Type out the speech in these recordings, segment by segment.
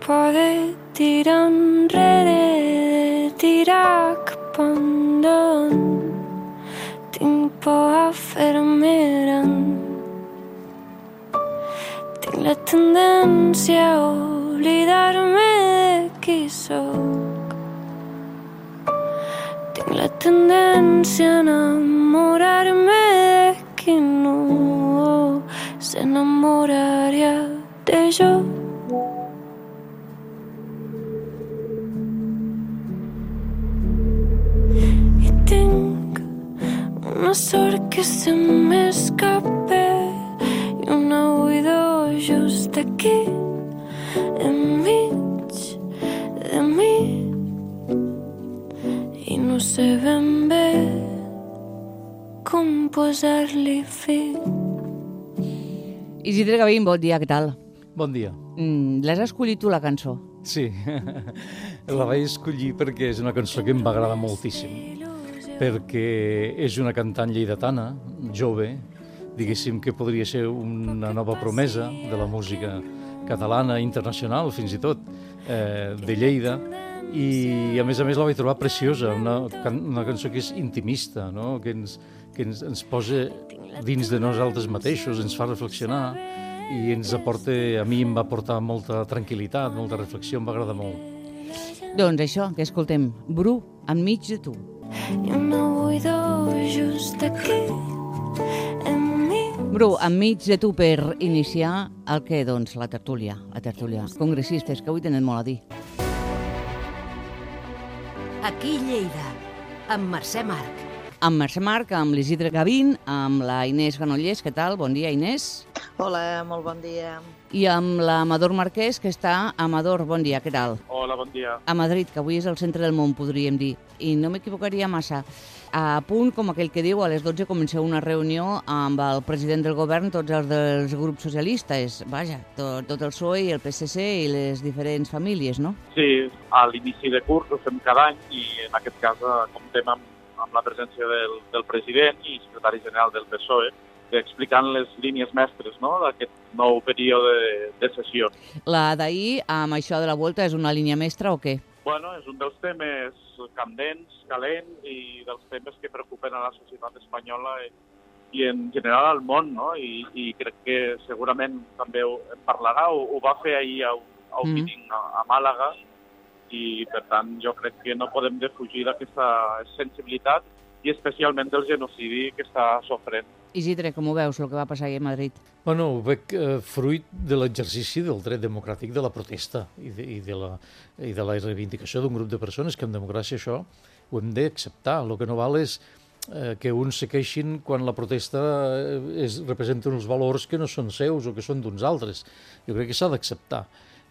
por de tirar enrere, de tirar cap endavant. Tinc por a fer-me gran. Tinc la tendència a oblidar-me de qui sóc. Tinc la tendència a enamorar-me de qui no s'enamoraria de jo. I tinc una sort que se m'escapa i una buidor just aquí enmig de mi i no sé ben bé com posar-li fi. Isidre Gavín, bon dia, què tal? Bon dia. L'has escollit tu, la cançó? Sí, la vaig escollir perquè és una cançó que em va agradar moltíssim, perquè és una cantant lleidatana, jove, diguéssim que podria ser una nova promesa de la música catalana, internacional, fins i tot, de Lleida, i a més la vaig trobar preciosa, una cançó que és intimista, no? que ens posa dins de nosaltres mateixos, ens fa reflexionar i ens aporta, a mi em va portar molta tranquil·litat, molta reflexió, em va agradar molt. Doncs això, que escoltem, Bru, enmig de tu. I una buidor just aquí enmig. Bru, enmig de tu per iniciar el que, doncs, la tertúlia. Congressistes, que avui tenen molt a dir. Aquí Lleida, amb Mercè Marc. Amb Mercè Marc, amb l'Isidre Gavín, amb la Inés Granollers, què tal? Bon dia, Inés. Hola, molt bon dia. I amb l'Amador Marquès, que està... Amador, bon dia, què tal? Hola, bon dia. A Madrid, que avui és el centre del món, podríem dir. I no m'equivocaria massa. A punt, com aquell que diu, a les 12 comenceu una reunió amb el president del govern, tots els dels grups socialistes, vaja, tot el PSOE i el PSC i les diferents famílies, no? Sí, a l'inici de curs ho fem cada any i en aquest cas comptem amb la presència del president i secretari general del PSOE, explicant les línies mestres, no?, d'aquest nou període de sessions. La d'ahir, amb això de la volta, és una línia mestra o què? Bueno, és un dels temes candents, calents i dels temes que preocupen a la societat espanyola i en general al món, no? I crec que segurament també en parlarà, ho va fer ahir a un meeting a Màlaga i, per tant, jo crec que no podem defugir d'aquesta sensibilitat i especialment del genocidi que està sofrent. Isidre, com ho veus, el que va passar ahir a Madrid? Bueno, ho veig fruit de l'exercici del dret democràtic de la protesta i de la reivindicació d'un grup de persones que en democràcia això ho hem d'acceptar. El que no val és que uns se queixin quan la protesta representa uns valors que no són seus o que són d'uns altres. Jo crec que s'ha d'acceptar.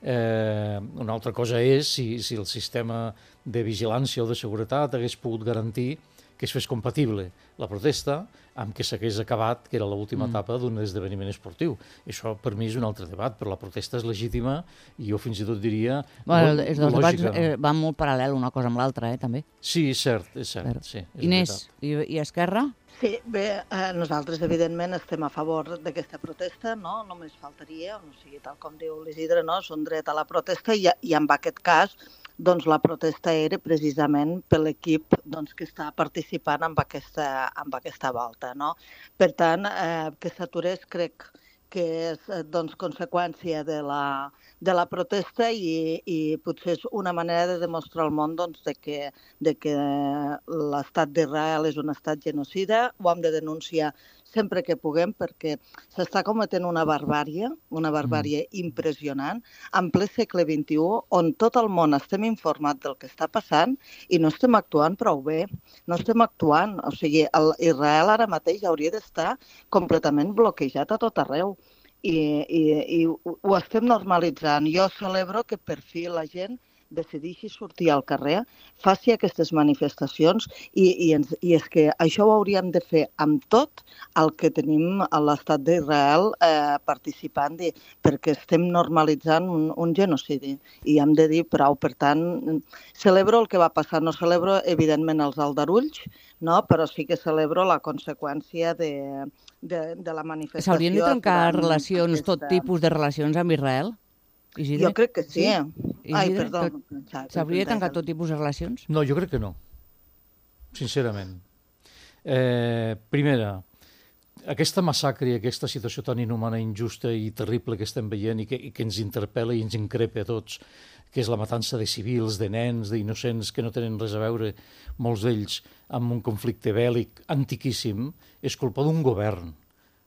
Una altra cosa és si el sistema de vigilància o de seguretat hagués pogut garantir que es fes compatible la protesta amb que s'hagués acabat, que era l'última etapa d'un esdeveniment esportiu. Això, per mi, és un altre debat, però la protesta és legítima i jo fins i tot diria lògica. Els dos debats van molt paral·lel una cosa amb l'altra, també. Sí, és cert. Sí, Inés, i Esquerra? Sí, bé, nosaltres evidentment estem a favor d'aquesta protesta, no? Només faltaria, o sigui, tal com diu l'Isidre, no? És un dret a la protesta i en aquest cas doncs la protesta era precisament per l'equip doncs, que està participant en aquesta volta. No? Per tant, que s'aturés crec que és doncs, conseqüència de la protesta i potser és una manera de demostrar al món doncs, de que l'estat d'Israel és un estat genocida, ho hem de denunciar sempre que puguem, perquè s'està cometent una barbàrie impressionant, en ple segle XXI, on tot el món estem informats del que està passant i no estem actuant prou bé. No estem actuant. O sigui, Israel ara mateix hauria d'estar completament bloquejat a tot arreu. I ho estem normalitzant. Jo celebro que per fi la gent decideixi sortir al carrer, faci aquestes manifestacions i és que això ho hauríem de fer amb tot el que tenim a l'estat d'Israel participant perquè estem normalitzant un genocidi i hem de dir prou. Per tant, celebro el que va passar, no celebro evidentment els aldarulls, no? Però sí que celebro la conseqüència de la manifestació. S'haurien de trencar relacions, tot tipus de relacions amb Israel? Isidre? Jo crec que sí. Ai, Isidre, perdó. s'hauria de tancar tot tipus de relacions? No, jo crec que no, sincerament. Primera, aquesta massacre i aquesta situació tan inhumana, injusta i terrible que estem veient i que ens interpel·la i ens increpa a tots, que és la matança de civils, de nens, d'innocents que no tenen res a veure, molts d'ells, amb un conflicte bèl·lic antiquíssim, és culpa d'un govern.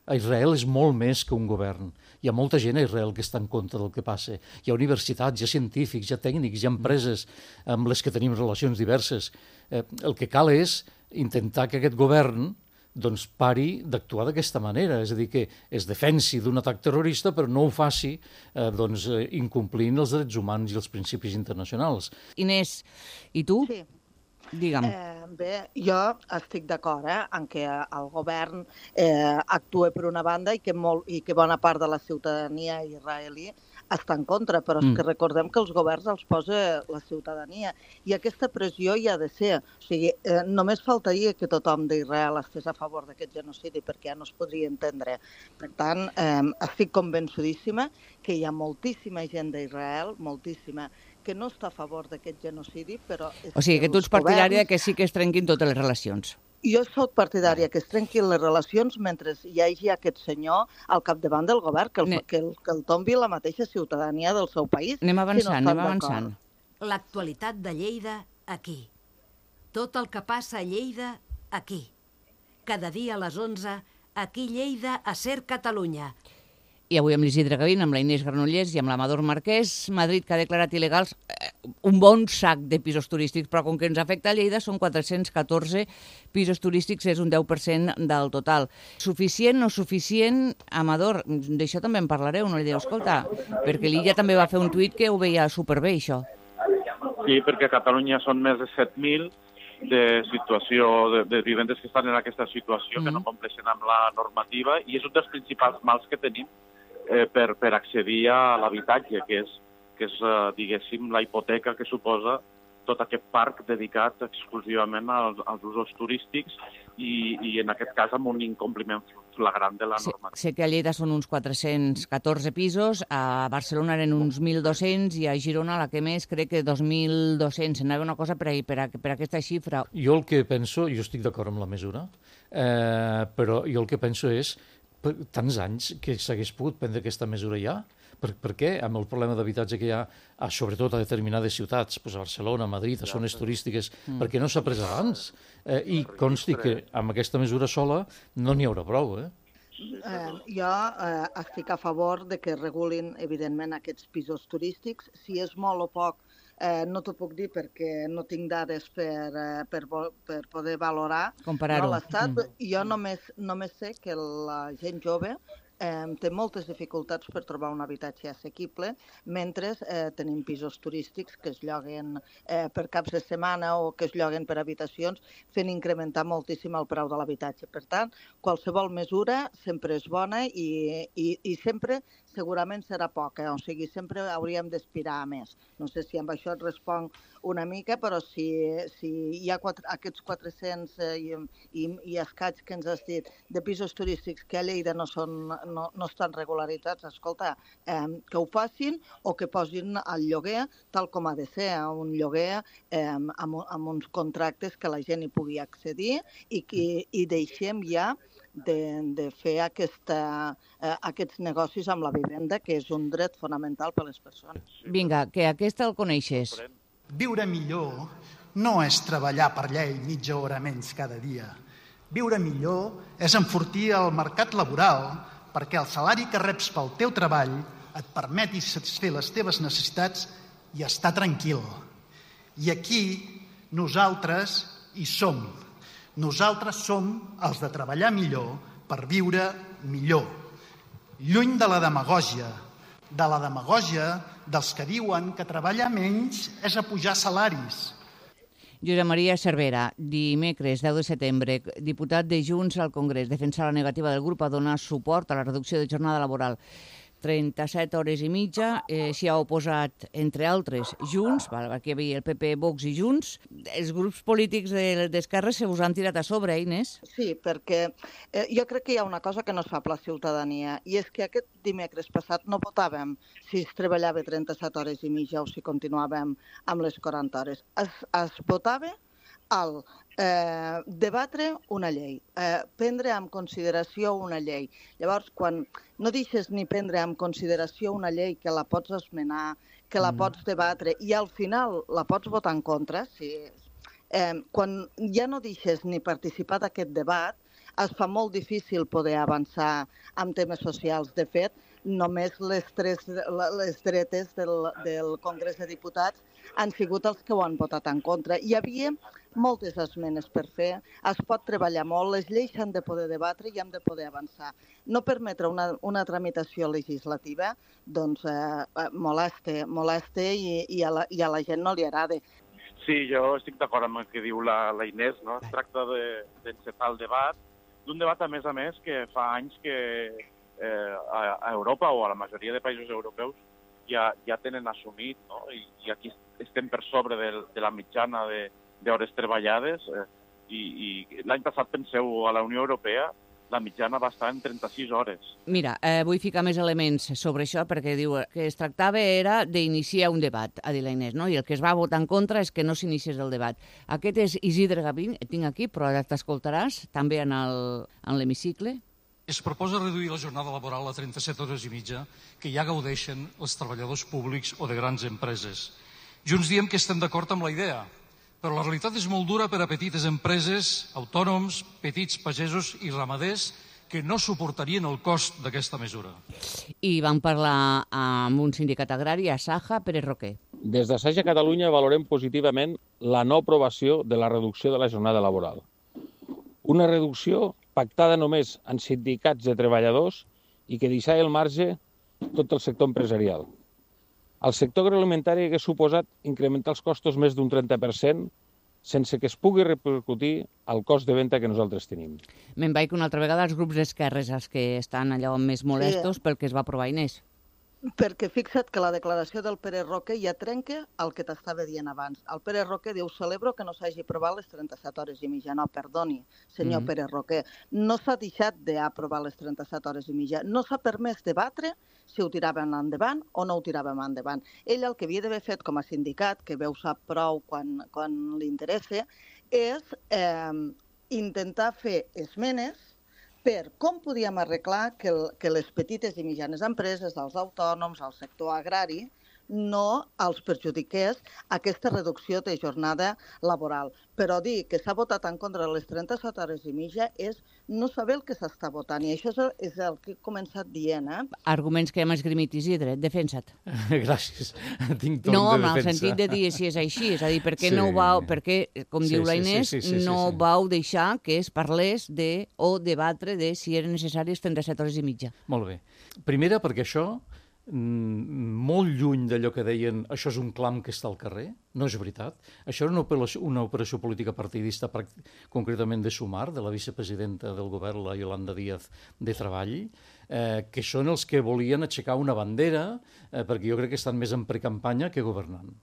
A Israel és molt més que un govern. Hi ha molta gent a Israel que està en contra del que passa. Hi ha universitats, hi ha científics, hi ha tècnics, hi ha empreses amb les que tenim relacions diverses. El que cal és intentar que aquest govern doncs pari d'actuar d'aquesta manera, és a dir, que es defensi d'un atac terrorista però no ho faci incomplint els drets humans i els principis internacionals. Inés, i tu? Sí. Digue'm. Bé, jo estic d'acord en què el govern actua per una banda i que bona part de la ciutadania israelí està en contra, però és que recordem que els governs els posa la ciutadania i aquesta pressió hi ha de ser. O sigui, només faltaria que tothom d'Israel estés a favor d'aquest genocidi perquè ja no es podria entendre. Per tant, estic convençudíssima que hi ha moltíssima gent d'Israel, moltíssima, que no està a favor d'aquest genocidi, però... O sigui, que tu ets partidària que sí que es trenquin totes les relacions. Jo soc partidària que es trenquin les relacions mentre hi hagi aquest senyor al capdavant del govern, que el tombi la mateixa ciutadania del seu país. Anem avançant. L'actualitat de Lleida, aquí. Tot el que passa a Lleida, aquí. Cada dia a les 11, aquí Lleida, a Ser Catalunya. I avui amb l'Isidre Gavín, amb la Inés Granollers i amb l'Amador Marquès, Madrid que ha declarat il·legals un bon sac de pisos turístics, però com que ens afecta a Lleida són 414 pisos turístics, és un 10% del total. Suficient, no suficient? Amador, d'això també en parlareu, no li diu, escolta, perquè l'Illa també va fer un tuit que ho veia superbé, això. Sí, perquè a Catalunya són més de 7.000 de vivendes que estan en aquesta situació, que no compleixen amb la normativa, i és un dels principals mals que tenim per accedir a l'habitatge, que és diguéssim, la hipoteca que suposa tot aquest parc dedicat exclusivament als usos turístics i en aquest cas amb un incompliment flagrant de la normativa. Sé que a Lleida són uns 414 pisos, a Barcelona eren uns 1.200 i a Girona la que més crec que 2.200. Anava una cosa per aquesta xifra. Jo el que penso, jo estic d'acord amb la mesura, però jo el que penso és tants anys que s'hagués pogut prendre aquesta mesura ja. Per què? Amb el problema d'habitatge que hi ha, sobretot a determinades ciutats, a Barcelona, a Madrid, a zones turístiques, perquè no s'ha pres abans. I consti que amb aquesta mesura sola no n'hi haurà prou. Jo estic a favor de que regulin, evidentment, aquests pisos turístics. Si és molt o poc, no t'ho puc dir perquè no tinc dades per poder valorar l'Estat. Jo només sé que la gent jove té moltes dificultats per trobar un habitatge assequible, mentre tenim pisos turístics que es lloguen per caps de setmana o que es lloguen per habitacions, fent incrementar moltíssim el preu de l'habitatge. Per tant, qualsevol mesura sempre és bona i sempre segurament serà poca, o sigui, sempre hauríem d'aspirar a més. No sé si amb això et responc una mica, però si hi ha aquests 400 i escaig que ens has dit de pisos turístics que a Lleida no estan regularitzats, escolta, que ho facin o que posin el lloguer tal com ha de ser, un lloguer amb uns contractes que la gent hi pugui accedir i deixem ja de fer aquests negocis amb la vivenda, que és un dret fonamental per a les persones. Vinga, que aquesta el coneixes. Viure millor no és treballar per llei mitja hora menys cada dia. Viure millor és enfortir el mercat laboral perquè el salari que reps pel teu treball et permeti satisfer les teves necessitats i estar tranquil. I aquí nosaltres hi som. Nosaltres som els de treballar millor per viure millor. Lluny de la demagògia dels que diuen que treballar menys és apujar salaris. Josep Maria Cervera, dimecres 10 de setembre, diputat de Junts al Congrés, defensa la negativa del grup a donar suport a la reducció de jornada laboral. 37 hores i mitja, s'hi ha oposat, entre altres, Junts, aquí hi havia el PP, Vox i Junts. Els grups polítics d'esquerres se us han tirat a sobre, Inés? Sí, perquè jo crec que hi ha una cosa que no es fa per la ciutadania, i és que aquest dimecres passat no votàvem si es treballava 37 hores i mitja o si continuàvem amb les 40 hores. Es votava al debatre una llei, prendre en consideració una llei. Llavors, quan no deixes ni prendre en consideració una llei que la pots esmenar, que la pots debatre i al final la pots votar en contra, quan ja no deixes ni participar d'aquest debat, es fa molt difícil poder avançar en temes socials. De fet, només les dretes del Congrés de Diputats han sigut els que ho han votat en contra. Hi havia moltes esmenes per fer, es pot treballar molt, les lleis s'han de poder debatre i hem de poder avançar. No permetre una tramitació legislativa doncs molesta i a la gent no li agrada. Sí, jo estic d'acord amb el que diu la Inés, no? Es tracta d'encetar el debat, d'un debat, a més, que fa anys que a Europa o a la majoria de països europeus ja tenen assumit, no? I aquí estem per sobre de la mitjana d'hores treballades i l'any passat, penseu, a la Unió Europea la mitjana va estar en 36 hores. Mira, vull ficar més elements sobre això perquè diu que es tractava era d'iniciar un debat, ha dit la Inés, no? I el que es va votar en contra és que no s'iniciés el debat. Aquest és Isidre Gavín, et tinc aquí, però ara t'escoltaràs també en l'hemicicle. Es proposa reduir la jornada laboral a 37 hores i mitja que ja gaudeixen els treballadors públics o de grans empreses. Junts diem que estem d'acord amb la idea, però la realitat és molt dura per a petites empreses, autònoms, petits pagesos i ramaders que no suportarien el cost d'aquesta mesura. I vam parlar amb un sindicat agrari, Asaja, Pérez Roquer. Des d'Asaja Catalunya valorem positivament la no aprovació de la reducció de la jornada laboral. Una reducció pactada només en sindicats de treballadors i que deixava al marge tot el sector empresarial. El sector agroalimentari hauria suposat incrementar els costos més d'un 30% sense que es pugui repercutir al cost de venda que nosaltres tenim. Me'n vaig una altra vegada als grups d'esquerres, els que estan allò més molestos pel que es va aprovar, Inés. Perquè fixa't que la declaració del Pérez Roquer ja trenca el que t'estava dient abans. El Pérez Roquer diu, celebro que no s'hagi aprovat les 37 hores i mitja. No, perdoni, senyor Pérez Roquer. No s'ha deixat d'aprovar les 37 hores i mitja. No s'ha permès debatre si ho tiràvem endavant o no ho tiràvem endavant. Ell el que havia d'haver fet com a sindicat, que veu sap prou quan li interessa, és intentar fer esmenes per com podíem arreglar que les petites i mitjanes empreses, els autònoms, el sector agrari, no els perjudiqués aquesta reducció de jornada laboral. Però dir que s'ha votat en contra de les 37 hores i mitja és no saber el que s'està votant. I això és el que he començat dient. Arguments que hem esgrimit, Isidre, defensa't. Gràcies, tinc torn de defensa. No, en el sentit de dir si és així, és a dir, per què no ho vau, perquè, com diu la Inés, no vau deixar que es parlés o debatre de si eren necessàries 37 hores i mitja. Molt bé. Primera, perquè això molt lluny d'allò que deien això és un clam que està al carrer, no és veritat. Això era una operació política partidista, concretament de Sumar, de la vicepresidenta del govern, la Yolanda Díaz, de Treball, que són els que volien aixecar una bandera, perquè jo crec que estan més en precampanya que governant.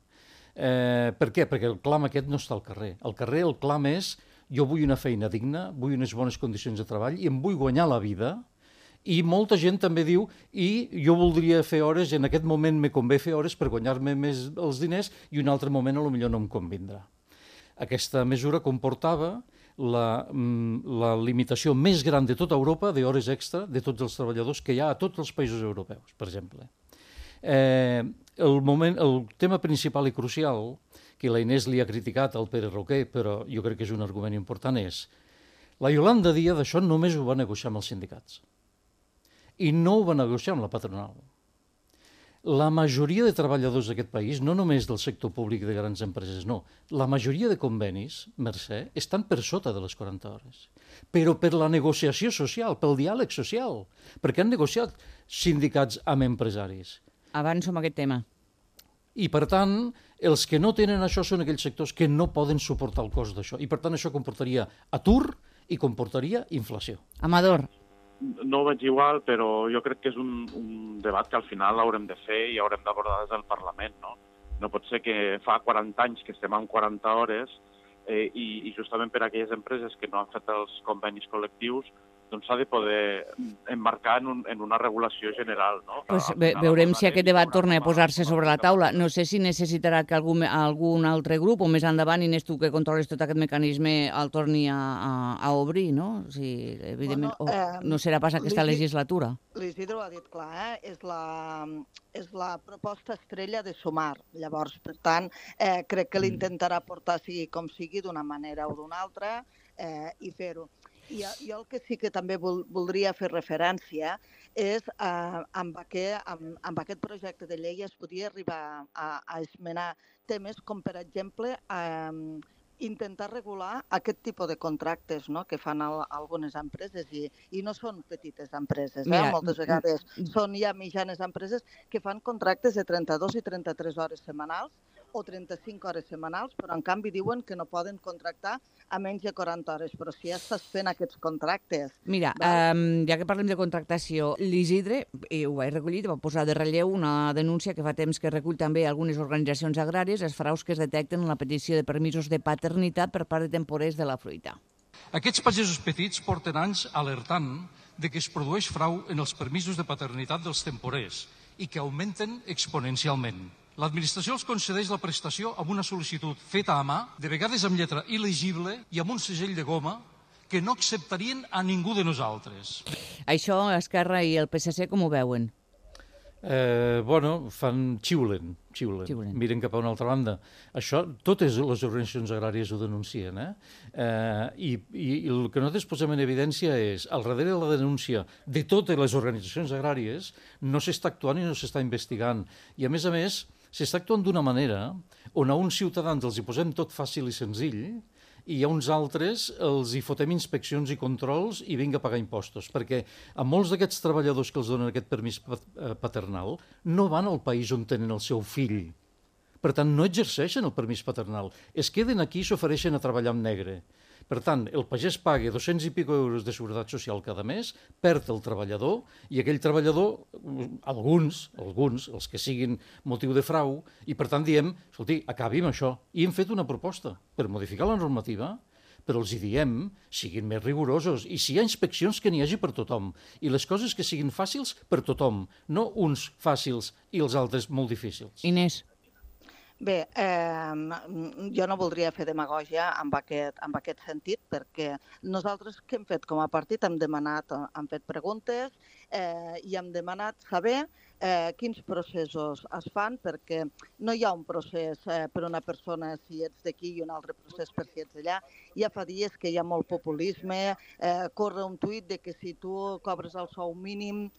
Per què? Perquè el clam aquest no està al carrer. Al carrer el clam és jo vull una feina digna, vull unes bones condicions de treball i em vull guanyar la vida. I molta gent també diu i jo voldria fer hores, en aquest moment me convé fer hores per guanyar-me més els diners i un altre moment potser no em convindrà. Aquesta mesura comportava la limitació més gran de tota Europa d'hores extra de tots els treballadors que hi ha a tots els països europeus, per exemple. El tema principal i crucial, que la Inés li ha criticat al Pérez Roquer, però jo crec que és un argument important, és la Yolanda Díaz d'això només ho va negociar amb els sindicats. I no ho va negociar amb la patronal. La majoria de treballadors d'aquest país, no només del sector públic de grans empreses, no, la majoria de convenis, Mercè, estan per sota de les 40 hores. Però per la negociació social, pel diàleg social, perquè han negociat sindicats amb empresaris. Avanço amb aquest tema. I, per tant, els que no tenen això són aquells sectors que no poden suportar el cost d'això. I, per tant, això comportaria atur i comportaria inflació. Amador. no ho veig igual, però jo crec que és un debat que al final haurem de fer i haurem d'abordar des del Parlament, no? No pot ser que fa 40 anys que estem amb 40 hores i justament per a aquelles empreses que no han fet els convenis col·lectius doncs s'ha de poder emmarcar en una regulació general, no? Pues veurem si aquest debat torna a posar-se sobre la taula. No sé si necessitarà que algun altre grup, o més endavant, Inés, tu que controles tot aquest mecanisme, el torni a obrir, no? Si, evidentment, no serà pas aquesta legislatura. L'Isidre ho ha dit clar, és la proposta estrella de Sumar. Llavors, per tant, crec que l'intentarà portar sigui com sigui, d'una manera o d'una altra, i fer-ho. I jo el que sí que també voldria fer referència és amb aquest projecte de llei es podia arribar a esmenar temes com, per exemple, intentar regular aquest tipus de contractes, no?, que fan algunes empreses i no són petites empreses. Moltes vegades són ja mitjanes empreses que fan contractes de 32 i 33 hores setmanals o 35 hores setmanals, però en canvi diuen que no poden contractar a menys de 40 hores. Però si ja estàs fent aquests contractes... Mira, ja que parlem de contractació, l'Isidre, ho vaig recollir, va posar de relleu una denúncia que fa temps que recull també algunes organitzacions agràries, els fraus que es detecten en la petició de permisos de paternitat per part de temporers de la fruita. Aquests pagesos petits porten anys alertant de que es produeix frau en els permisos de paternitat dels temporers i que augmenten exponencialment. L'administració els concedeix la prestació amb una sol·licitud feta a mà, de vegades amb lletra il·legible i amb un segell de goma que no acceptarien a ningú de nosaltres. Això, Esquerra i el PSC, com ho veuen? Xiulen. Miren cap a una altra banda. Això, totes les organitzacions agràries ho denuncien, I el que nosaltres posem en evidència és, al darrere de la denúncia de totes les organitzacions agràries, no s'està actuant i no s'està investigant. I, a més, s'està actuant d'una manera on a uns ciutadans els hi posem tot fàcil i senzill i a uns altres els hi fotem inspeccions i controls i vinga a pagar impostos, perquè a molts d'aquests treballadors que els donen aquest permís paternal no van al país on tenen el seu fill. Per tant, no exerceixen el permís paternal. Es queden aquí i s'ofereixen a treballar en negre. Per tant, el pagès paga 200 i pico euros de seguretat social cada mes, perd el treballador, i aquell treballador, alguns, els que siguin motiu de frau, i per tant diem, escolti, acabi amb això. I hem fet una proposta per modificar la normativa, però els hi diem, siguin més rigorosos, i si hi ha inspeccions que n'hi hagi per tothom, i les coses que siguin fàcils per tothom, no uns fàcils i els altres molt difícils. Inés. Bé, jo no voldria fer demagògia en aquest sentit, perquè nosaltres què hem fet com a partit? Hem fet preguntes i hem demanat saber quins processos es fan, perquè no hi ha un procés per una persona si ets d'aquí i un altre procés per si ets d'allà. Ja fa dies que hi ha molt populisme, corre un tuit de que si tu cobres el sou mínim,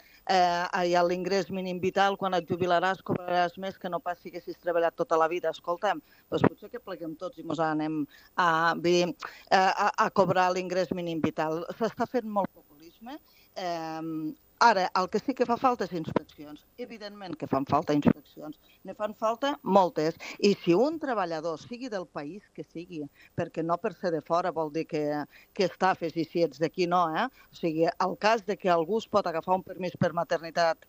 l'ingrés mínim vital, quan et jubilaràs cobraràs més que no pas si haguessis treballat tota la vida. Escolta'm, doncs potser que pleguem tots i ens anem a cobrar l'ingrés mínim vital. S'està fent molt populisme. Ara, el que sí que fa falta és inspeccions. Evidentment que fan falta inspeccions. Ne fan falta moltes. I si un treballador, sigui del país que sigui, perquè no per ser de fora vol dir que estafes i si ets d'aquí no, O sigui, el cas de que algú es pot agafar un permís per maternitat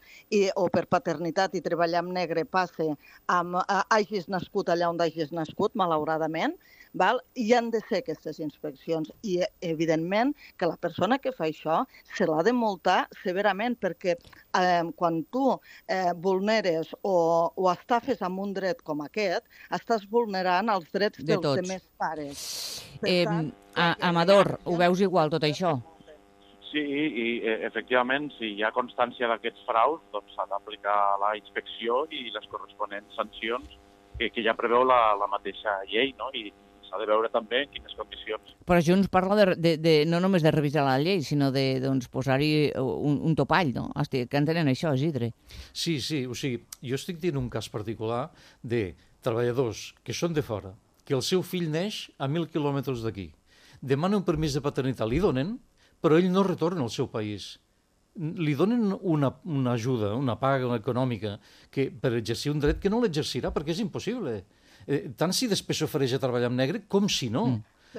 o per paternitat i treballar en negre passe hagis nascut allà on hagis nascut, malauradament, hi han de ser aquestes inspeccions i, evidentment, que la persona que fa això se l'ha de multar severament, perquè quan tu vulneres o estafes amb un dret com aquest, estàs vulnerant els drets dels demés pares. Amador, ho veus igual, tot això? Sí, i efectivament, si hi ha constància d'aquests fraus, doncs s'ha d'aplicar la inspecció i les corresponents sancions que ja preveu la mateixa llei, no? I s'ha de veure també en quines condicions. Però Junts parla no només de revisar la llei, sinó de posar-hi un topall, no? Que entenen això, Isidre. Sí, o sigui, jo estic dient un cas particular de treballadors que són de fora, que el seu fill neix a 1.000 quilòmetres d'aquí, demana un permís de paternitat, li donen, però ell no retorna al seu país. Li donen una ajuda, una paga econòmica, per exercir un dret que no l'exercirà perquè és impossible. Tant si després s'ofereix a treballar en negre com si no.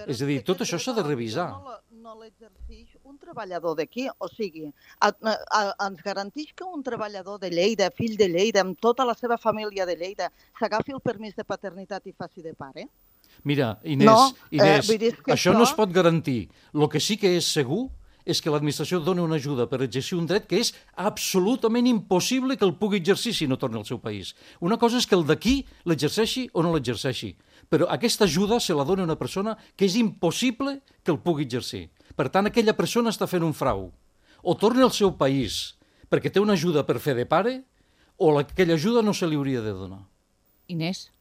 És a dir, tot això s'ha de revisar. no l'exerceix un treballador d'aquí. O sigui, ens garanteix que un treballador de Lleida, fill de Lleida, amb tota la seva família de Lleida, s'agafi el permís de paternitat i faci de pare? Mira, Inés, No, Inés vull dir que això no això- es pot garantir. El que sí que és segur és que l'administració dona una ajuda per exercir un dret que és absolutament impossible que el pugui exercir si no torna al seu país. Una cosa és que el d'aquí l'exerceixi o no l'exerceixi, però aquesta ajuda se la dona una persona que és impossible que el pugui exercir. Per tant, aquella persona està fent un frau. O torna al seu país perquè té una ajuda per fer de pare, o aquella ajuda no se li hauria de donar. Inés?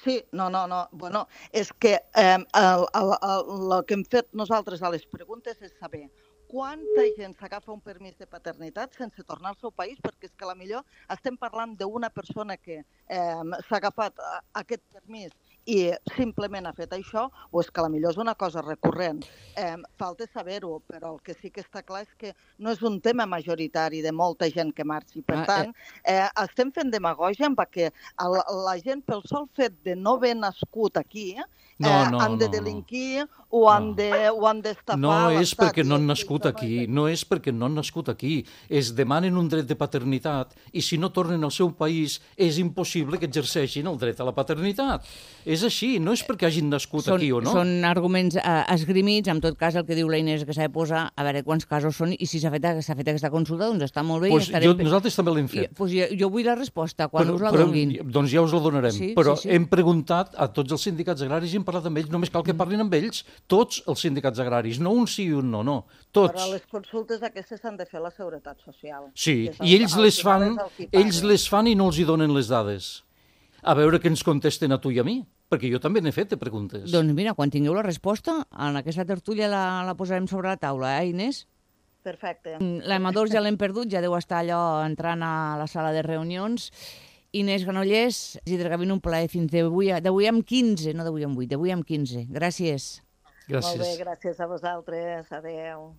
Sí, no. Bueno, és que el que hem fet nosaltres a les preguntes és saber quanta gent s'agafa un permís de paternitat sense tornar al seu país, perquè és que a la millor estem parlant d'una persona que s'ha agafat aquest permís i simplement ha fet això, o és que a la millor és una cosa recurrent. Falta saber-ho, però el que sí que està clar és que no és un tema majoritari de molta gent que marxi. Per tant, estem fent demagògia amb que la gent, pel sol fet de no haver nascut aquí, han de delinquir o han d'estafar No és l'estat. perquè no han nascut aquí, no és perquè no han nascut aquí. Es demanen un dret de paternitat i si no tornen al seu país és impossible que exerceixin el dret a la paternitat. És així, no és perquè hagin nascut aquí o no. Són arguments esgrimits, en tot cas el que diu la Inés que s'ha de posar, a veure quants casos són i si s'ha fet aquesta consulta, doncs està molt bé. Nosaltres també l'hem fet. Jo vull la resposta, quan us la donin. Doncs ja us la donarem, però hem preguntat a tots els sindicats agraris i hem parlat amb ells, només cal que parlin amb ells, tots els sindicats agraris, no un sí i un no, no, tots. Però les consultes aquestes s'han de fer a la Seguretat Social. Sí, i ells les fan i no els hi donen les dades. A veure què ens contesten a tu i a mi, perquè jo també n'he fet de preguntes. Doncs mira, quan tingueu la resposta, en aquesta tertúlia la posarem sobre la taula, Inés? Perfecte. L'Amador ja l'hem perdut, ja deu estar allò entrant a la sala de reunions. Inés Granollers, Isidre Gavin, un plaer fins d'avui amb 15, no d'avui amb 8, d'avui amb 15. Gràcies. Molt bé, gràcies a vosaltres. Adéu.